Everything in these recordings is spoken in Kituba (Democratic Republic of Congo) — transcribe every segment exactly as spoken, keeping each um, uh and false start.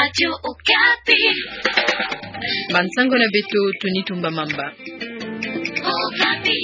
Radio Okapi. Bansango na beto, Tony Tumba Mamba. Okapi.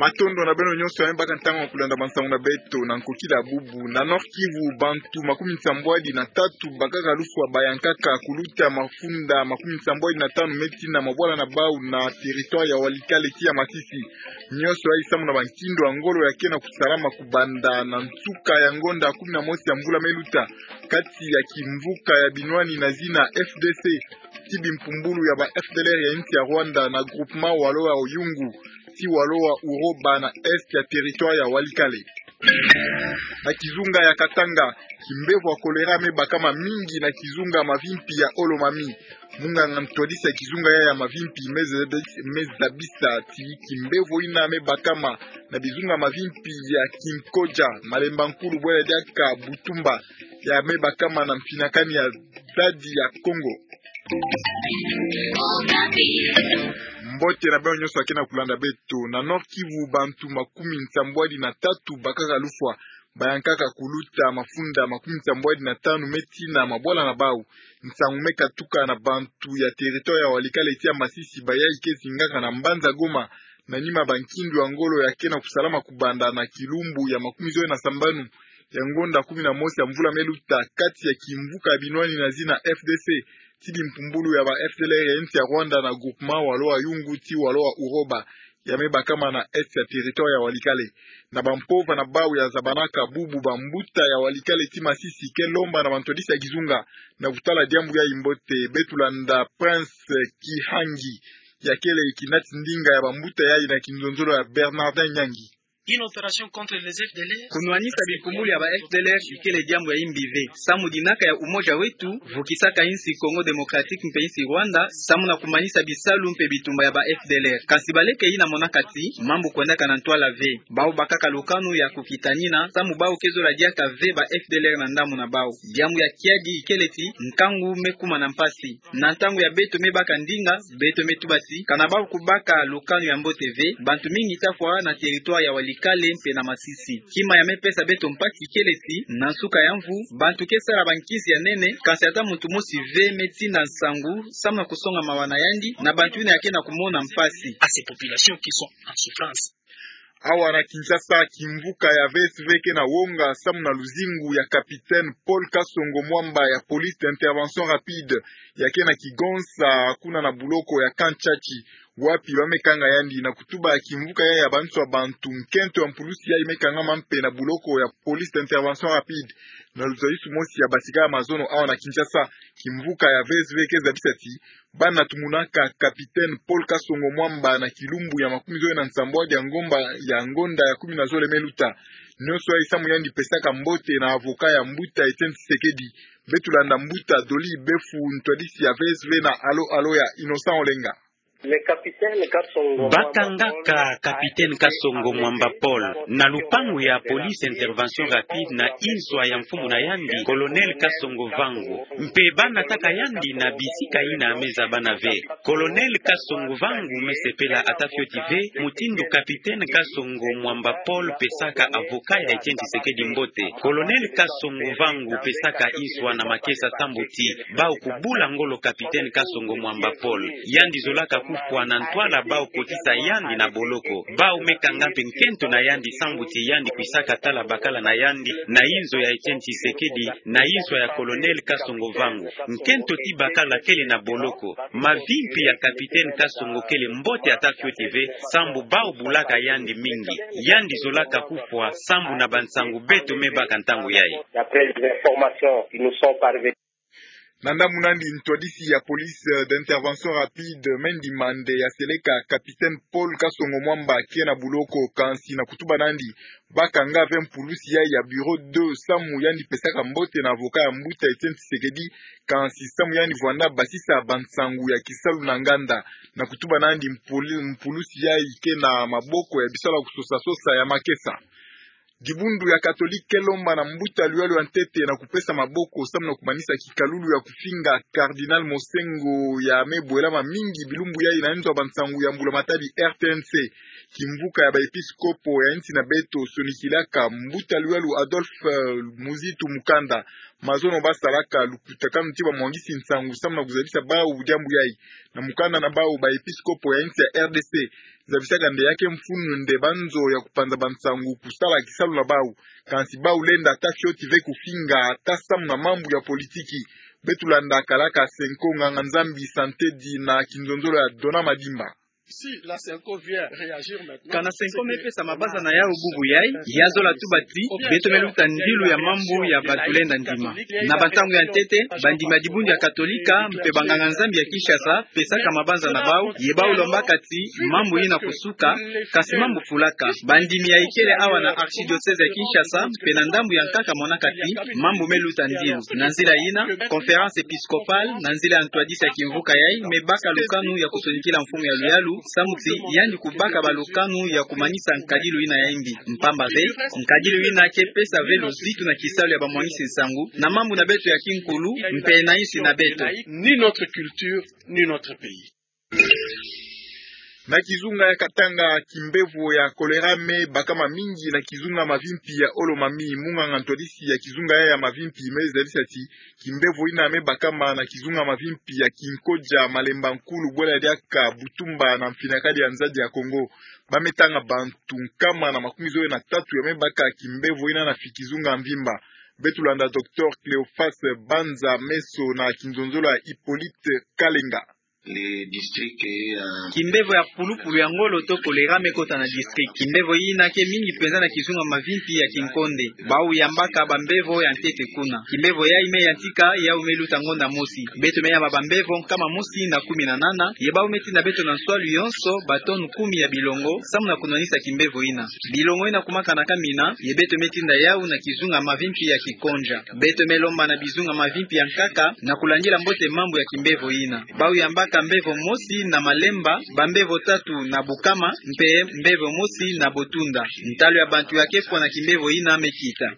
Matondo na beno nyonso ya me baka ntangu ya kulanda bansango na beto na nkokila bubu. Na Nord-Kivu, bantu makumi nsambwadi na tatu bakaka lufwa, bayankaka kuluta mafunda makumi nsambwadi na tanu me tina mabwala na bau na territoire ya Walikale ti ya Masisi. Nyonso yayi samu na bankindo ya ngolo ya ke na kusalama kubanda na nsuka ya ngonda kumi na mosi ya mvula me luta, kati ya kimvuka ya binwani na zina F D C ti bimpumbulu ya ba F D L R ya insi ya Rwanda na groupement Walo wa Yungu ti Walo wa Uroba na est ya territoire ya Walikale. Na kizunga ya Katanga, kimbevo ya choléra me bakama mingi na kizunga mavimpi ya Olomami. Munganga ntwadisi ya kizunga yayi ya mavimpi me zabi-, me zabisa ti kimbevo yina me bakama na bizunga mavimpi ya Kinkodja, Malemba Nkulu, bwela diaka Butumba, ya me bakama na mfinakani ya Stade ya Kongo. Mbote na beno nyonso ya ke na kulanda beto. Na Nord-Kivu, bantu makumi nsambwadi na tatu bakaka lufwa, bayankaka kuluta mafunda makumi nsambwadi na tanu me tina mabwala na bau. Nsangu me katuka na bantu ya territoire ya Walikale ti ya Masisi, bayayi ke zingaka na mbanza Goma, na nima bankindo ya ngolo ya ke na kusalama kubanda na kilumbu ya makumi zole na sambanu ya ngonda kumi na mosi ya mvula me luta, kati ya kimvuka ya binwani na zina F D C ti bimpumbulu ya ba F D L R ya insi ya Rwanda na groupement Walo wa Yungu ti Walo wa Uroba, ya me bakama na est ya territoire ya Walikale. Na bampova na bau ya zabanaka bubu, bambuta ya Walikale ti Masisi ke lomba na bantwadisi ya kizunga na kutala diambu yayi mbote. Beto landa Prince Kihangi, ya kele kinati ndinga ya bambuta yayi na kinzonzolo ya Bernardin Nyangi. Une opération contre les F D L R. Kunwanisa bimpumbulu ya ba F D L R ikele diambu ya imbi ve. Samu dinaka ya Umoja Wetu vukisaka insi Congo Démocratique mpe insi Rwanda, samu na kumanisa bisalu mpe bitumba ya ba F D L R. Kasi baleke yina monaka ti mambu kwendaka na ntwala ve. Bau bakaka lukanu ya kukitanina, samu bau ke zola diaka ve ba F D L R na ndambu na bau. Diambu ya kiadi ikele ti nkangu me kuma na mpasi. Na ntangu ya beto me baka ndinga, beto me tuba ti, kana bau kubaka lukanu ya mbote ve, bantu mingi ta fwa na territoire ya Walikale mpe na Masisi. Kima ya me pesa beto mpasi kele ti, na nsuka ya mvu, bantu ke sala bankisi ya nene, kasi ata muntu mosi ve me tinda nsangu, samu na kusonga mawa na yandi, na bantu yina ya ke na kumona mpasi. À ces populations qui sont en souffrance. Awa na Kinshasa, kimvuka ya V S V ke na wonga samu na luzingu ya capitaine Paul Kasongo Mwamba ya police d'intervention rapide, ya ke na kigonsa kuna na buloko ya Kanchachi, wapi ba me kanga yandi. Na kutuba ya kimvuka yayi ya banswa bantu, nkento ya mpulusi yayi me kangama mpe na buloko ya police d'intervention rapide. Na luzayusu mosi ya basikaya mazono awa na Kinshasa, kimvuka ya V S V ke zabisa ti, bana tumunaka capitaine Paul Kasongo Mwamba na kilumbu ya makumi zole na nsambwadi ya ngomba ya ngonda ya kumi na zole me luta. Nyonso yayi samu yandi pesaka mbote na avocat ya mbuta Etienne Tshisekedi. Beto landa mbuta Dolly Befu, ntwadisi ya V S V na Alo Alo ya Innocent Olenga. Bakangaka capitaine Kasongo Mwamba Paul na lupangu ya police intervention rapide na inswa ya mfumu na yandi, colonel Kasongo Vangu. Mpe ba nataka yandi na bisika yina me zaba na ve. Colonel Kasongo Vangu me sepela ata fioti ve mutindu capitaine Kasongo Mwamba Paul pesaka avocat ya Etienne Tshisekedi mbote. Colonel Kasongo Vangu pesaka inswa na makesa sambu ti bau kubula ngolo capitaine Kasongo Mwamba Paul. Yandi zolaka kufwa na ntwala bau kotisa yandi na boloko. Bau me kanga mpe nkento na yandi sambu ti yandi kwisaka tala bakala na yandi na inzo ya Etienne Tshisekedi, na inswa ya colonel Kasongo Vangu. Nkento ti bakala kele na boloko. Mavimpi ya capitaine Kasongo kele mbote ata fioti ve, sambu bau bulaka yandi mingi. Yandi zolaka kufwa sambu na bansangu beto me baka ntangu yayi. D'après les informations qui nous sont parvenues. Na ndambu na yandi, ntwadisi ya police, euh, d'intervention rapide, Mendi Mande, ya seleka capitaine Paul Kasongo Mwamba ke na buloko, kansi na kutuba na yandi, bakanga ve mpulusi yayi ya bureau deux samu yandi pesaka mbote na avocat ya mbuta Etienne Tshisekedi, kansi samu yandi vwanda basisa bansangu ya kisalu na nganda. Na kutuba na yandi, mpuli-, mpulusi yayi ke na maboko ya bisalu ya kusosa-sosa ya makesa. Dibundu ya Katolike ke lomba na mbuta luyalu ya ntete na kupesa maboko samu na kumanisa kikalulu ya kufinga Cardinal Monsengwo ya me bwelama mingi bilumbu yai na nzo ya bansangu ya mbula matadi R T N C. Kimvuka ya baepiskopo ya nsi na beto sonikilaka mbuta luyalu Adolphe, eh, Muzitu Mukanda mazono basalaka lukutakanu ti bamwangisi nsangu samu na kuzabisa bau diambu yai. Na mukanda na bau, baepiskopo ya nsi ya R D C zabisaka nde ya ke mfunu nde banzo ya kupanza bansangu kusala kisalu na bau. Kansi bau lenda ata fioti ve kufinga ata samu na mambu ya politiki. Beto landa kalaka Senko Nganga Nzambi Santedi na kinzonzolo ya Dona Madimba. Kana Senko me pesa mabanza na yau bubu yai, ya zola tuba ti beto me luta ndilu ya mambu ya bantu lenda ndima. Na bantangu ya ntete, bandimi ya dibundu ya Katolika mpe banganga Nzambi ya Kinshasa pesaka mabanza na bau, ye bau lombaka ti mambu yina kusuka, kansi mambu fulaka. Bandimi ya ikele awa na archidiocèse ya Kinshasa mpe na ndambu ya nkaka monaka ti mambu me luta ndilu. Na nzila yina, conférence épiscopale, na nzila ya ntwadisi ya kimvuka yai, me baka lukanu ya kusonikila mfumu ya luyalu, samu ti yandi kubaka balukanu ya kumanisa nkadilu yina ya imbi. Mpamba ve, nkadilu yina ke pesa ve luzitu na kisalu ya bamwangisi nsangu na mambu na beto ya kinkulu mpe na nsi na beto. Ni notre culture, ni notre pays. Na kizunga ya Katanga, kimbevo ya choléra me bakama mingi na kizunga Mavimpi ya Olo-Mami. Munganga ntwadisi ya kizunga ya, ya Mavimpi me zabisa ti kimbevo yina me bakama na kizunga Mavimpi ya Kinkodja, Malemba Nkulu, Bwela Diaka, Butumba na Mfinakadi ya Nzadi ya Kongo. Ba me tanga bantu nkama na makumi zole na tatu ya me baka kimbevo yina na fi kizunga mvimba. Beto landa docteur Cléophas Banza Meso na kinzonzolo ya Hippolyte Kalenga. Kimbevo ya pulupulu ya ngolo to choléra me kota na district. Kimbevo yina ke mingi penza na kizunga Mavimpi ya Kinkonde. Bau yambaka bambevo ya ntete kuna. Kimbevo yai me yantika yau me luta ngonda mosi. Beto me yamba bambevo nkama mosi na kumi na nana, ye bau me tinda beto na nswalu yonso batonu kumi ya bilongo samu na kunwanisa kimbevo yina. Bilongo yina kumakanaka mina, ye beto me tinda yau na kizunga Mavimpi ya Kikonja. Beto me lomba na bizunga Mavimpi ya nkaka na kulandila mbote mambu ya kimbevo yina. Bau yambaka mbevo mosi na Malemba, bambevo tatu na Bukama, mpe mbevo mosi na Botunda. Ntalu ya bantu ya ke fwa na kimbevo yina me kita.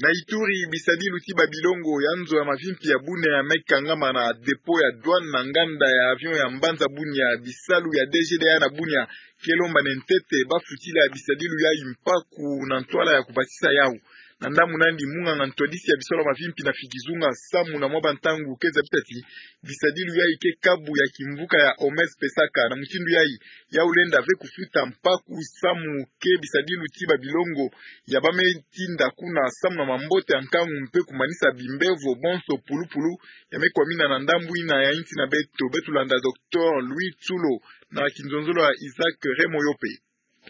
Na Ituri, bisadilu ti babilongo ya nzo ya Mavimpi ya Bunia ya me kangama na dépôt ya douane na nganda ya avion ya mbanza Bunia. Bisalu ya D G D A na Bunia ke lomba na ntete ba futila bisadilu yai mpaku na ntwala ya kubasisa yau. Na ndambu nandi, munganga ntwadisi ya bisalu ya Mavimpi na fi kizunga samu na mwa bantangu ke zabisa ti bisadilu yai ke kabu ya kimvuka ya OMS pesaka. Na mutindu yai, yau lenda ve kufuta mpaku samu ke bisadilu ti babilongo ya ba me tinda kuna samu na mambote ya nkangu mpe kumanisa bimbevo bonso pulupulu ya me kwamina na ndambu yina ya nsi na beto. Beto landa docteur Louis Tsulo na kinzonzolo ya Isaac Remoyope.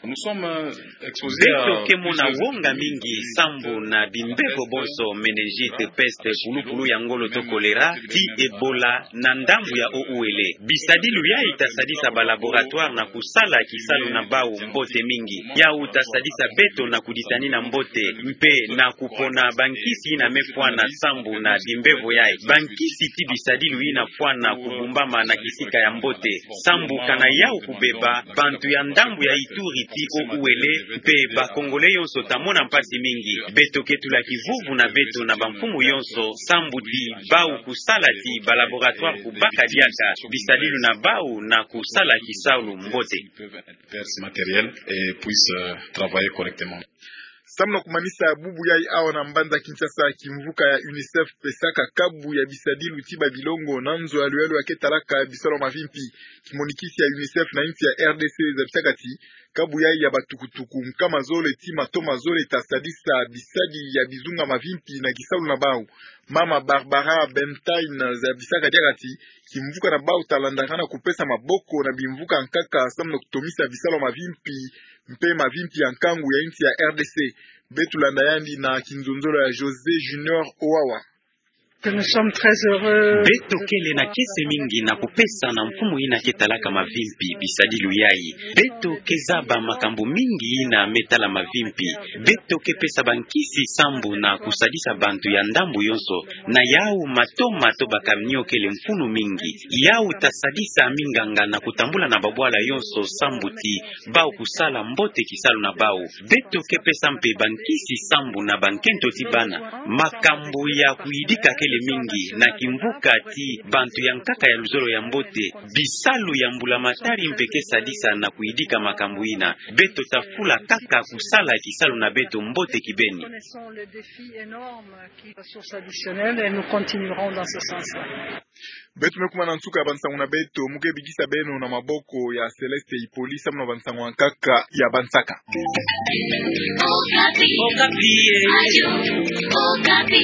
Beto ke mona wonga mingi sambu na bimbevo bonso, méningite, peste, pulupulu ya ngolo to choléra, ti Ebola na ndambu ya O U L. Bisadilu yai ta sadisa ba laboratoire na kusala kisalu na bau mbote mingi. Yau ta sadisa beto na kuditanina mbote mpe na kupona bankisi yina me fwana sambu na bimbevo yai. Bankisi ti bisadilu yina fwana kubumbama na kisika ya mbote. Sambu kana yau kubeba, bantu ya ndambu ya Ituri ti O U L mpe ba Congolais yonso ta mona mpasi mingi. Beto ke tula kivuvu na beto na bamfumu yonso sambu ti bau kusala ti ba laboratoire kubaka diaka bisadilu na bau na kusala kisalu mbote. Matériel et puisse, euh, travailler correctement. Samu na kumanisa bubu yai awa na mbanza Kinshasa, kimvuka ya UNICEF pesaka kabu ya bisadilu ti babilongo na nzo ya luyalu ya ke talaka bisalu ya Mavimpi. Kimonikisi ya UNICEF na nsi ya R D C zabisaka ti kabu yai ya batukutuku nkama zole ti mato mazole ta sadisa bisadi ya bizunga Mavimpi na kisalu na bau. Mama Barbara Bentain zabisaka diaka ti kimvuka na bau ta landakana kupesa maboko na bimvuka nkaka samu na kutomisa bisalu ya Mavimpi mpe Mavimpi ya nkangu ya nsi ya R D C. Beto landa yandi na kinzonzolo ya José Junior Owawa. Beto kele na kiese mingi na kupesa na mfumu ina ke talaka mavimpi bisadilu yai. Beto ke zaba makambu mingi ina me tala mavimpi. Beto ke pesa bankisi sambu na kusadisa bantu ya ndambu yonso. Na yau matoma to bakamnio kele mfunu mingi. Yau ta sadisa minganga na kutambula na babwala yonso sambu ti bau kusala mbote kisalu na bau. Beto ke pesa mpe bankisi sambu na bankento ti bana. Makambu ya kuyidika kele mingi na kimvuka ti bantu ya nkaka ya luzolo ya mbote. Bisalu ya mbulamatari mpe ke sadisa na kuyidika makambu ina. Beto ta fula kaka kusala kisalu na beto mbote kibeni. Sur sa additionnel et nous continuerons dans ce sens-là. Beto me kuma na nsuka ya bansangu na beto, mu ke bikisa beno na maboko ya Céleste Ipoli, samu na bansangu ya nkaka ya Bansaka. Okapi. Okapi.